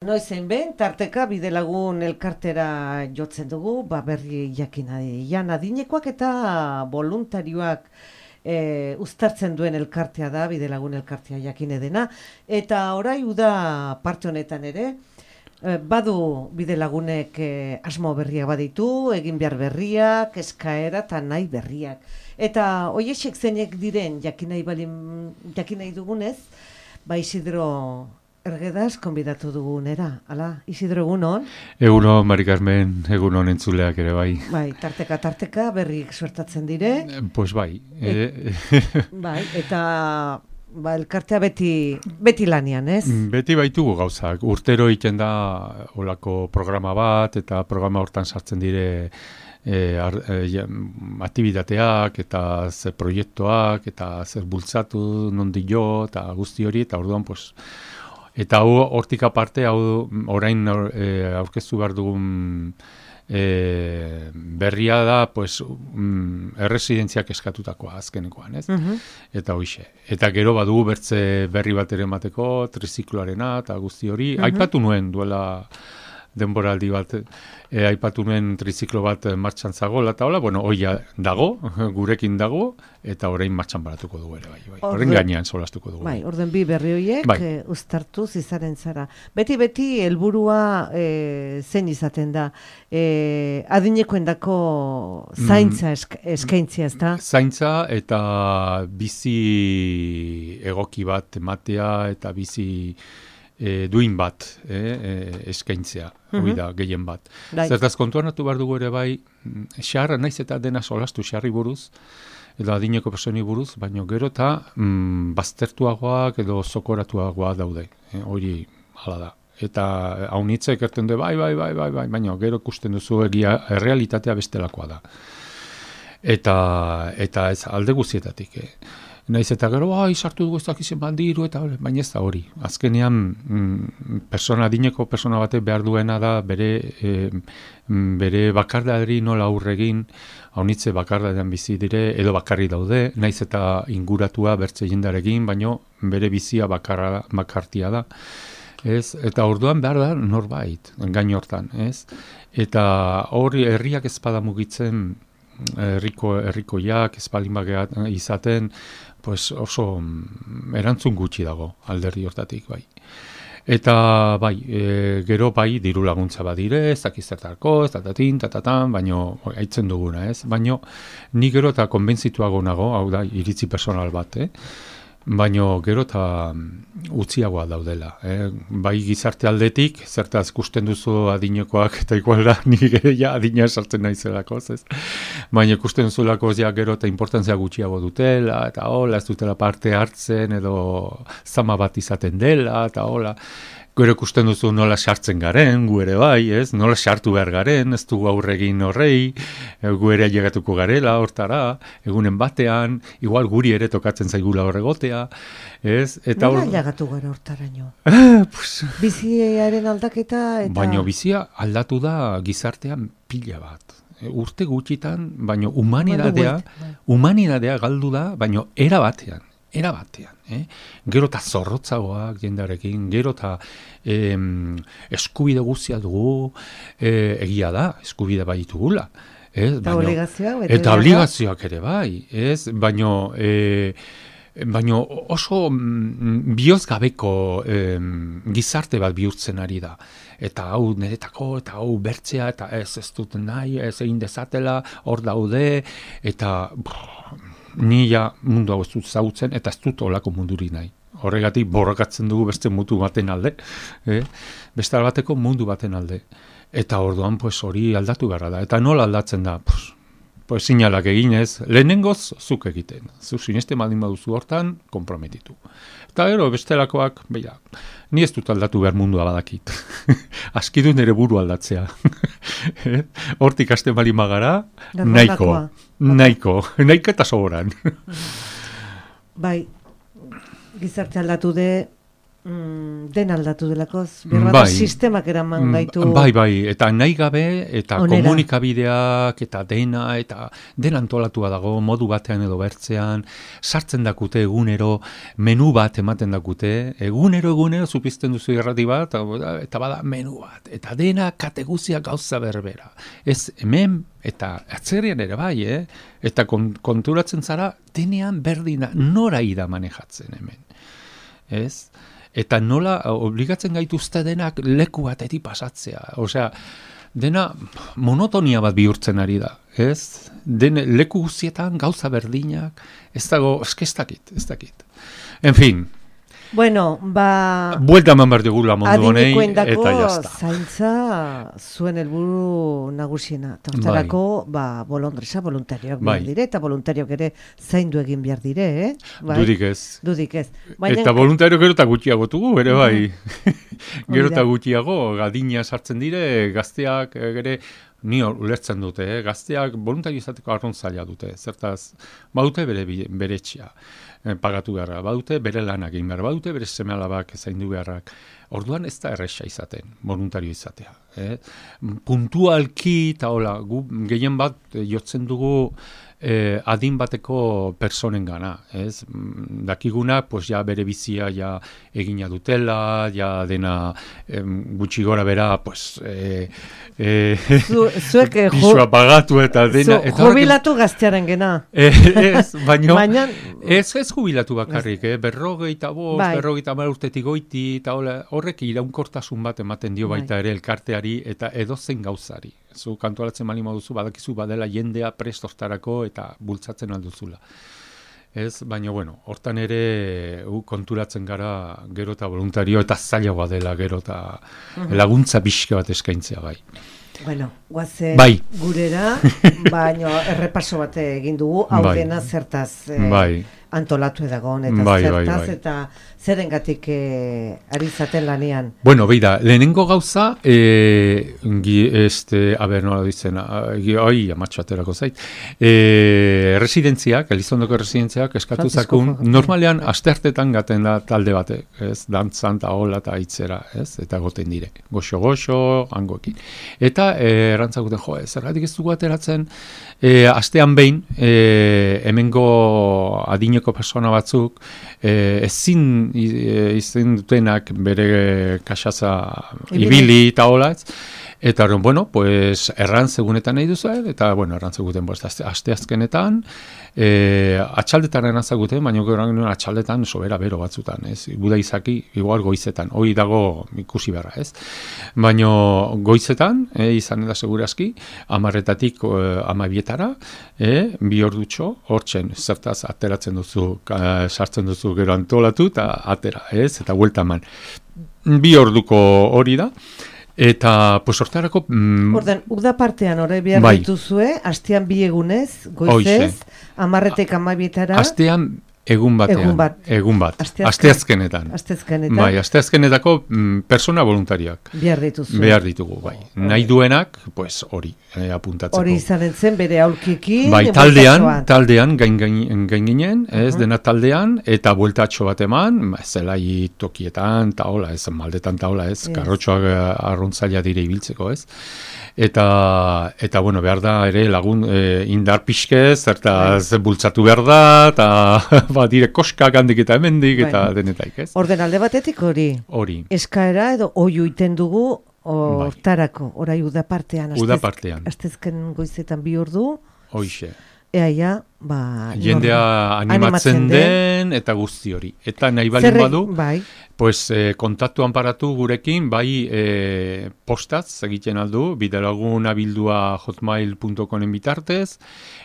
Noizen behin, tarteka bidelagun elkartera jotzen dugu, berri jakinadian adinekoak eta voluntarioak uztartzen duen elkartea da, bidelagun elkartea jakine dena, eta orai uda parte honetan ere, badu bidelagunek asmo berriak baditu, egin behar berriak, eskaera eta nahi berriak. Eta hoiexek zeinek diren jakinai dugunez, Isidro Ergedaz konbidatu dugunera, ala, Isidro, egunon? Egunon, Mari Carmen, egunon entzuleak ere bai. Bai, tarteka berrik suertatzen dire. Pues bai. Bai, eta elkartea beti lanian, ez? Beti baitugu gauzak. Urtero egiten da olako programa bat, eta programa hortan sartzen dire aktivitateak eta zer proiektuak, eta zer bultzatu nondi jo, eta guzti hori, eta orduan, pues, eta hortik aparte, orain aurkeztu behar dugun berria da, pues, erresidentziak eskatutakoa azkenekoan, ez? Eta hoixe. Eta gero badugu bertze berri bat ere emateko, trizikloarena, eta guzti hori. Aipatu nuen duela denboraldi bat, aipatu nuen triziklo bat martxan zagoela, eta hola, bueno, hoia dago, gurekin dago, eta orain martxan baratuko dugu ere, bai. Horren gainean solastuko dugu. Bai, orden bi berri horiek uztartuz izaren zara. Beti helburua zein izaten da, adinekoendako zaintza eskaintzia, ez da? Zaintza eta bizi egoki bat ematea, eta bizi duin bat eskaintzea, hori da, gehien bat. Zertaz kontuan hartu behar dugu ere bai, xarra naiz eta dena solastu xarri buruz, edo adineko personi buruz, baina gero eta baztertuagoak edo zokoratuagoa daude, hori hala da. Eta haunitzek erten du, bai, baina gero ikusten duzu egia errealitatea bestelakoa da. Eta ez alde guztietatik, naiz eta gero, sartu dugu ez dakizen bandiru, eta baina ez da hori. Azkenean, adineko persona batek behar duena da bere bakardari nola aurregin, haunitze bakardadean bizi dire, edo bakarri daude, naiz eta inguratua bertze jendarekin, baina bere bizia bakartia da. Ez? Eta orduan behar da norbait, gain hortan. Ez? Eta hori herriak ezpada mugitzen, herrikoiak ezbaldin bageat izaten, pues oso erantzun gutxi dago alderdi hortatik, bai. Eta bai, gero bai diru laguntza badire, ez dakizertarko, ez tatatan, baino haitzen duguna, ez? Baino ni gero eta konbentzituago nago, hau da, iritzi personal bat, baino gero eta utziagoa daudela. Bai gizarte aldetik, zertaz ikusten duzu adinekoak, eta igual da, nik ja adina sartzen naizelako, ez? Baina ikusten duzulako gero eta importantzia gutxiago dutela, eta hola, ez dutela parte hartzen, edo zama bat izaten dela, eta hola. Gero ikusten duzu nola sartzen garen, gu ere bai, ez? Nola sartu behar garen, ez dugu aurregin horrei, gu ere llegatuko garela, hortara, egunen batean, igual guri ere tokatzen zaigula horregotea, ez? Nola llegatu gara hortaraino? Biziaren aldaketa eta... Baina bizia aldatu da gizartean pila bat. Urte gutxitan, baina humanidadea galdu da, baina era batean. Gero eta zorrotzagoak jendarekin, gero eta eskubide guztia dugu, egia da, eskubide bai ditugula. Eta obligazioak. Eta obligazioak ere bai, baina oso bihozgabeko gizarte bat bihurtzen ari da. Eta hau niretako, eta hau bertzea, eta ez dut nahi, ez egin dezatela, hor daude, eta... Ni ja mundu hau ez dut zautzen, eta ez dut olako munduri nahi. Horregatik borrokatzen dugu beste mundu baten alde, beste bateko mundu baten alde. Eta orduan hori aldatu beharra da. Eta nola aldatzen da? Sinalak eginez, lehenengoz zuk egiten. Zu sineste baldin baduzu hortan, konprometitu. Eta gero bestelakoak, ni ez dut aldatu behar mundua badakit. Askidu nire buru aldatzea. Hortik hasten bali magara, nahiko eta soboran. Bai, gizarte aldatu de, Den aldatu delakoz, berra sistemak eraman gaitu. Bai, eta nahi gabe, eta onera. Komunikabideak, eta dena antolatua dago, modu batean edo bertzean, sartzen dakute egunero, menu bat ematen dakute, egunero zupizten duzu irrati bat, eta bada menu bat, eta dena kateguzia gauza berbera. Ez hemen, eta atzerrian ere bai, eta konturatzen zara, denean berdina, nora ida manejatzen hemen. Ez? Eta nola obligatzen gaituzte denak leku batetik pasatzea. Osea, dena monotonia bat bihurtzen ari da, ez? Leku guztietan gauza berdinak, ez dakit. En fin. Bueno, buelta eman behar digula mundu honei, eta jazta. Zaintza zuen helburu nagusiena. Hortarako, bolondresa, voluntarioak behar dire, eta voluntarioak ere zaindu egin behar dire, Bai? Dudik ez. Eta voluntario gero eta gutxiago dugu, ere bai. Gero eta gutxiago, gadina sartzen dire, gazteak ere, ni ulertzen dute, gazteak voluntario izateko arron zaila dute. Zertaz, badute bere etxea. Pagatu beharra, badute bere lanak egin behar, badute bere seme-alabak zaindu beharrak. Orduan ez da erresa izaten, voluntario izatea. Puntualki, eta hola, gu gehien bat jotzen dugu adin bateko personen gana. Dakiguna, pues ja bere bizia ja egina dutela, ja dena gutxi gora bera, pues zuek pisua pagatu eta dena. Jubilatu gaztearen gena. Baina ez jubilatu bakarrik, berrogeita bost, berrogeita mar urtetik goiti, eta horrek iraunkortasun bat ematen dio baita ere elkarteari eta edozein gauzari. Zu kantualatzen bali moduzu, badakizu badela jendea prestortarako eta bultzatzen alduzula. Baina, hortan ere konturatzen gara gero eta voluntario eta zailagoa dela gero eta laguntza pixka bat eskaintzea bai. Guazen gurera, baina errepaso bat egin dugu, hau dena zertaz antolatu edagon, eta zertaz, eta zerengatik ari zaten lanean. Beida, lehenengo gauza, nola dizena, amatxaterako zait, residentziak, Elizondoko residentziak eskatu zakun, normalean asteartetan gaten da talde batek, dantzan eta hola eta itzera, eta goten dire, goxo, hangoekin. Eta erantzakuten, zergatik ez dugu ateratzen, astean behin, hemengo adineko persona batzuk, ezin izan dutenak bere kaxaza ibili eta hola, eta pues errantz egunetan nahi duzu, eta errantz eguten asteazkenetan, atxaldetan erantzakuten, baina gero atxaldetan sobera bero batzutan, guda izaki, igual goizetan, hori dago ikusi beharra, baina goizetan, izan da segurazki, 10:00 12:00, 2 ordutxo, hortzen, zertaz ateratzen duzu, sartzen duzu gero antolatu, eta atera, eta buelta eman. 2 orduko hori da, eta, pues, hortarako... Orden, uda partean hori behar dituzue, astean 2 egunez, goizez, 10:00 12:00. Astean egun bat. Asteazkenetan. Bai, asteazkenetako persona voluntariak. Behar ditugu, bai. Nahi duenak, pues, hori, apuntatzeko. Hori izanen zen, bere aulkikin. Bai, taldean gain ginen, dena taldean, eta bueltatxo bat eman, zelai tokietan, taola, maldetan taola, karrotxoak arruntzaila dire ibiltzeko, Eta behar da ere lagun indar pixkez, eta bultzatu behar da, eta dire koskak handik eta hemendik, eta denetaik, Orden alde batetik hori. Eskaera edo oiu iten dugu hortarako, orai udapartean. Astezken goizetan 2 ordu. Hoixe. Eaia, jendea animatzen den, eta guzti hori. Eta nahi balin badu, pues, kontaktuan paratu gurekin, postaz egiten aldu, bidelaguna@bildua hotmail.comen bitartez,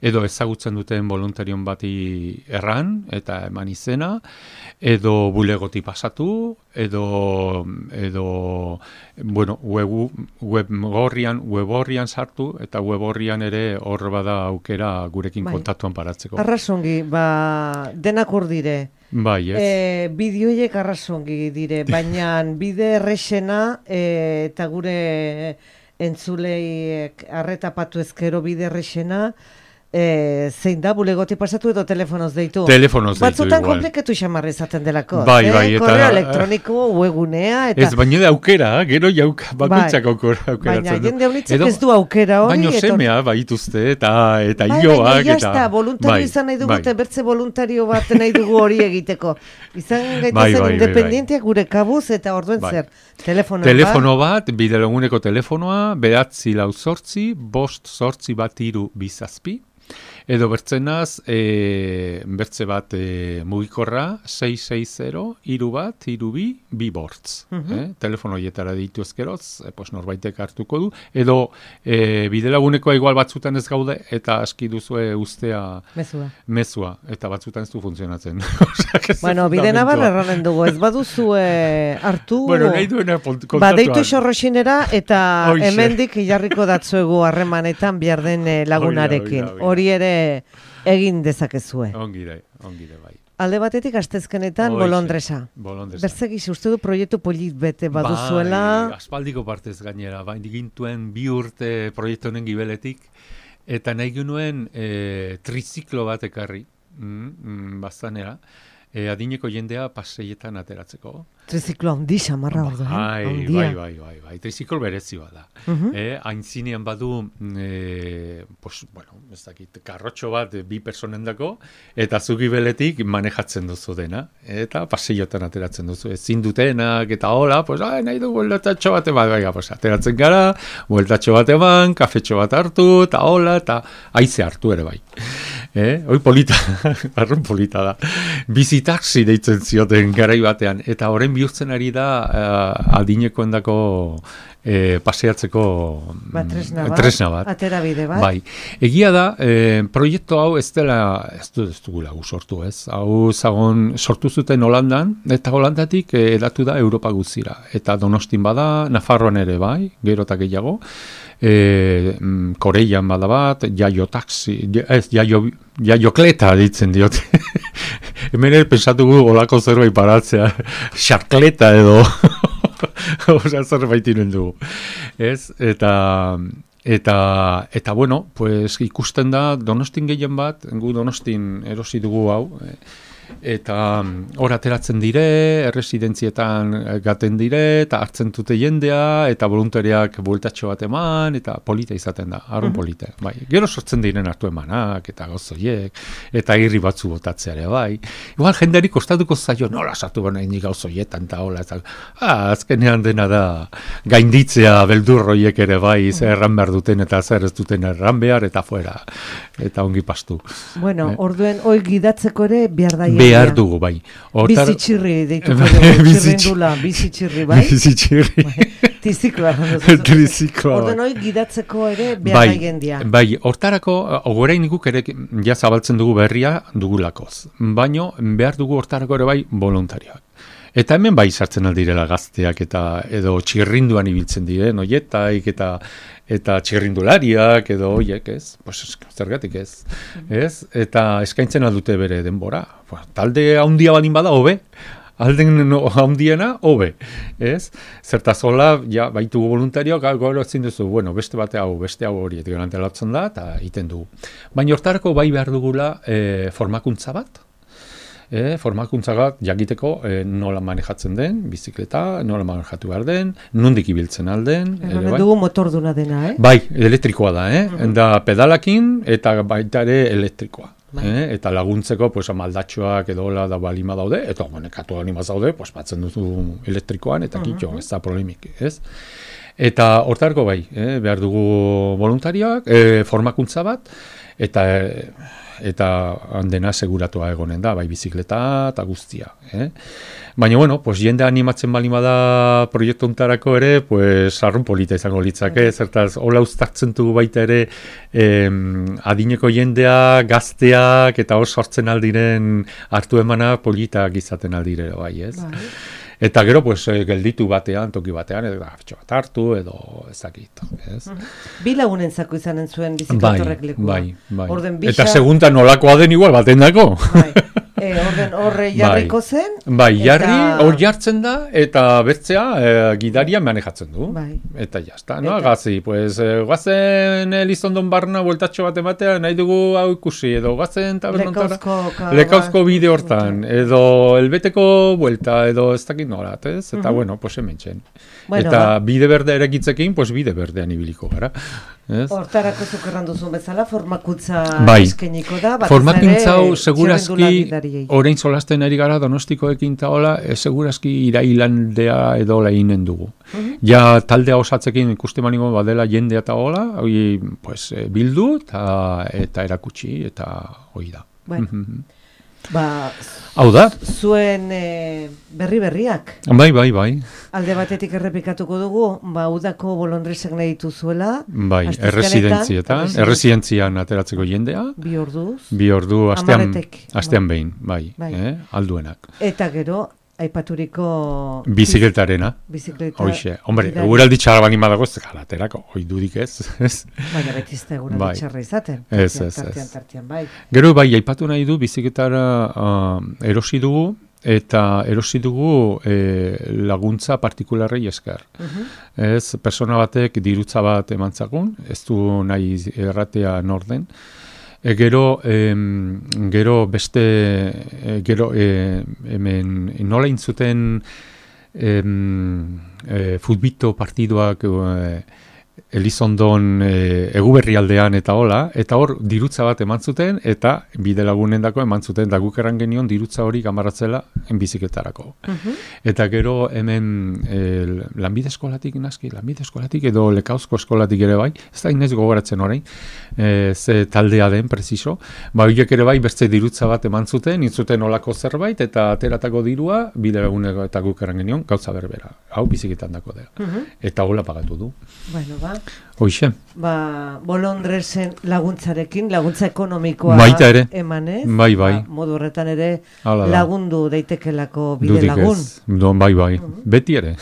edo ezagutzen duten voluntarion bati erran, eta eman izena, edo bulegoti pasatu, edo web horrian sartu, eta web horrian ere hor bada aukera gurekin kontaktuan paratzeko. Arrasongi, denak hor dire. Bideoiek arrasongi dire, baina bide errexena eta gure entzulei arretapatu ezkero bide errexena zein da, bulegotik pasatu edo telefonoz deitu? Telefonoz deitu Batzutan igual. komplikatu xamarra izaten delako. Bai, eta... Korreo elektroniko, webgunea, eta... Ez, baina da aukera, gero bakoitzak aukeratzen du. Baina, jende honitzek ez du aukera hori. Baina semea baituzte, eta bai, ioak, baina jazta, voluntario izan nahi dugu, bertze voluntario bat nahi dugu hori egiteko. Izan gaitezen independienteak gure kabuz, eta orduen zer, telefono bat, bidelaguneko telefonoa, 948 5 8 1 3 edo bertzenaz, bertze bat mugikorra, 660 3 2 bortz. Telefono hietara ditu ezkeroz, norbaitek hartuko du. Edo bidelagunekoa igual batzutan ez gaude, eta aski duzue ustea mezua. Eta batzutan ez du funtzionatzen. Bueno, bide nabar erranen dugu, ez baduzue hartu, nahi duena kontatuan. Badeitu xorroxinera, eta hemendik jarriko datzuegu harremanetan behar den lagunarekin. Hori ere egin dezakezue. Ongire, bai. Alde batetik astezkenetan bolondresa. Berzegiz, uste du proiektu polit bete baduzuela. Bai, aspaldiko partez gainera, gintuen 2 urte proiektu honen gibeletik, eta nahi genuen triziklo bat ekarri, bastanera, adineko jendea paseietan ateratzeko. Triziklo handi xamarra ordo, Bai, triziklo berezi bada. Aintzinean badu, ez dakit, karrotxo bat 2 personendako, eta zugi beletik manejatzen duzu dena, eta paseiotan ateratzen duzu. Ezin dutenak, eta hola, nahi du bueltatxo bat eman, ateratzen gara, bueltatxo bat eman, kafetxo bat hartu, eta hola, eta haize hartu ere bai. Hoi polita, arrun polita da. Bizitaxi deitzen zioten garai batean, eta horren bihurtzen ari da adinekoendako paseatzeko tresna bat. Atera bide bat. Bai. Egia da, proiektu hau ez dugula sortu ez. Hau zagon sortu zuten Holandan, eta Holandatik edatu da Europa guztira. Eta Donostin bada, Nafarroan ere bai, gero eta gehiago. Koreian bada bat, jaiokleta ditzen diote. Hemen pensatugu olako zerbait paratzea, xarkleta edo zerbait inen dugu. Eta bueno, pues ikusten da Donostin gehien bat, gu Donostin erosi dugu hau, eta hor ateratzen dire, erresidentzietan gaten dire, eta hartzen dute jendea, eta voluntariak bueltatxo bat eman, eta polita izaten da, arrun polita. Bai. Gero sortzen diren hartu emanak, eta gauzoiek, eta irri batzu botatzeare, bai. Igual jendeari kostatuko zaio, nola sartu baina indi gauzoietan, eta hola, azkenean dena da, gainditzea beldurroiek ere, bai, zer erran behar duten, eta zer ez duten erran behar, eta fuera, eta ongi pastu. Bueno, orduen, hoi gidatzeko ere, behar dugu, bai. Bizitxirri deituko dugu, txirrindula, bizitxirri, bai? Bizitxirri. Tizikloa. Orden hori gidatzeko ere behar gendia. Bai, hortarako, orain guk ere ja zabaltzen dugu berria dugulakoz. Baino, behar dugu hortarako ere bai voluntarioak. Eta hemen bai sartzen aldirela gazteak edo txirrinduan ibiltzen diren, oietaik eta txirrindulariak edo oiek, ez? Pues zergatik ez. Eta eskaintzen aldute bere denbora. Talde handia balin bada, hobe. Alden handiena, hobe. Ez? Zertazola, ja, baitugu voluntarioak, gero ezin duzu, bueno, beste bate hau, beste hau hori, eta antelatzen da, eta egiten dugu. Baina hortarako bai behar dugula formakuntza bat. Formakuntza bat jakiteko nola manejatzen den, bizikleta, nola manejatu behar den, nondik ibiltzen alden. Bai. Dugu motorduna dena, Bai, elektrikoa da, Da pedalakin eta baita ere elektrikoa. Eta laguntzeko, pues, maldatxoak edo hola da balima daude, eta nekatu balima daude, pues, batzen duzu elektrikoan, eta kitxo, ez da problemik, ez? Eta hortarko bai, behar dugu voluntarioak, formakuntza bat, eta handena seguratua egonen da, bai bizikleta eta guztia. Baina, bueno, pues, jende animatzen balima da proiektu hontarako ere, pues, arrun polita izango litzake, zertaz, hola uztartzen dugu baita ere adineko jendea, gazteak, eta hor sortzen aldiren hartu emana politak izaten aldire, bai, ez? Bai. Eta gero, pues, gelditu batean, toki batean, edo gafetxo bat hartu, edo ezakit. Bi lagunentzako izanen zuen bizikletorrek lekua. Bai. Eta seguntan nolakoa den igual baten dako. Horre jarriko zen. Bai, jarri, hor jartzen da, eta bertzea gidaria manejatzen du. Bai. Eta jazta, no? Gazi, pues, guazen Elizondon barna bueltatxo bat ematea, nahi dugu hau ikusi, edo guazen tabernontara. Lekauzko bide hortan, edo elbeteko buelta, edo ez dakit norat, ez? Eta, bueno, pues hemen txen. Eta bide berde erekitzekin, pues bide berdean ibiliko gara. Hortarako zuk erranduzun bezala, formakuntza eskeniko da. Formakuntza hau, segurazki, orain solasten ari gara Donostikoekin eta hola, segurazki irailandea edo lehinen dugu. Ja taldea osatzekin ikuste maniko badela jendea eta hola, pues, bildu eta erakutsi eta hoi da. Hau da? Zuen berriak. Bai. Alde batetik errepikatuko dugu, udako bolondresek nahi dituzuela. Bai, erresidentzian ateratzeko jendea. 2 orduz. 2 ordu, astean behin, bai. Alduenak. Eta gero, aipaturiko bizikletarena. Hoxe, hombre, eguraldi txarra bani badago ez galaterako, hoi dudik ez. Baina betizte eguraldi txarra izaten. Tartian, bai. Gero bai, aipatu nahi du bizikletara erosi dugu, eta erosi dugu laguntza partikularrei esker. Ez, persona batek dirutza bat emantzakun, ez du nahi erratea norden. Gero hemen nola intzuten futbito partiduak Elizondon Eguberri aldean eta hola, eta hor dirutza bat eman zuten, eta bide lagunendako eman zuten, da guk erran genion dirutza hori gamaratzela biziketarako. Eta gero hemen lanbide eskolatik edo Lekauzko eskolatik ere bai, ez da inez gogoratzen orain, ze taldea den, preciso, horiek ere bai bertze dirutza bat eman zuten, intzuten olako zerbait, eta ateratako dirua, bide laguneko eta guk erran genion, gauza berbera, hau biziketan dako dela. Eta hola pagatu du. Bueno, Hoxe. Bolondresen laguntzarekin, laguntza ekonomikoa emanez. Bai. Modu horretan ere lagundu daitekelako bide lagun. Bai. Beti ere.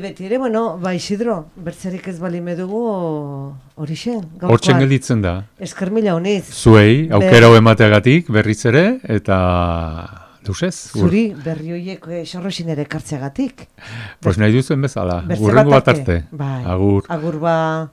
Beti ere, bueno, Isidro, bertzerik ez bali medugu horixe. Hortzen gelditzen da. Esker mila honiz. Zuei, aukera emateagatik berriz ere, eta... Zuri berri horiek xorrosin ere kartzeagatik. Pues nahi duzuen bezala, urrengo bat arte. Agur ba.